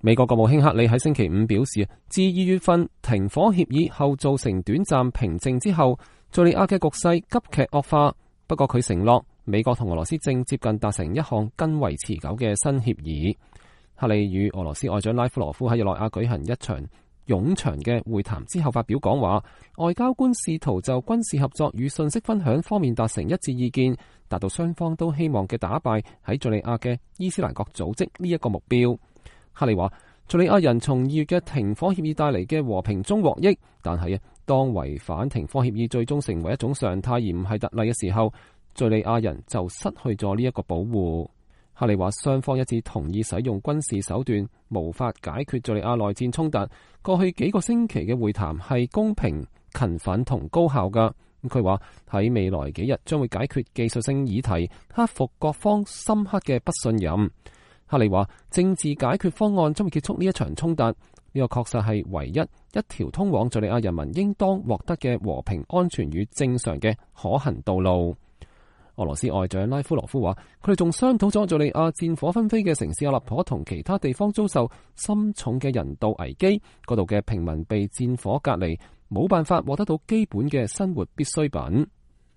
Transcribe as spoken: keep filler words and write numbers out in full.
美國國務卿克里喺星期五表示，自二月份停火協議後造成短暫平靜之後，敘利亞嘅局勢急劇惡化。不過佢承諾，美國同俄羅斯正接近達成一項更為持久嘅新協議。克里與俄羅斯外長拉夫羅夫喺日內瓦舉行一場冗長嘅會談之後發表講話，外交官試圖就軍事合作與信息分享方面達成一致意見，達到雙方都希望嘅打敗喺敘利亞嘅伊斯蘭國組織呢一個目標。克里話，敘利亞人從二月嘅停火協議帶嚟嘅和平中獲益，但係啊，當違反停火協議最終成為一種常態而唔係特例嘅時候，敘利亞人就失去咗呢一個保護。克里話，雙方一致同意使用軍事手段無法解決敘利亞內戰衝突。過去幾個星期嘅會談係公平、勤奮同高效㗎。佢話喺未來幾日將會解決技術性議題，克服各方深刻嘅不信任。克里話，政治解決方案將會結束呢一場衝突，呢個確實係唯一一條通往敘利亞人民應當獲得嘅和平、安全與正常嘅可行道路。俄羅斯外長拉夫羅夫話，佢哋仲商討咗敘利亞戰火紛飛嘅城市阿勒頗同其他地方遭受深重嘅人道危機，嗰度嘅平民被戰火隔離，冇辦法獲得到基本嘅生活必需品。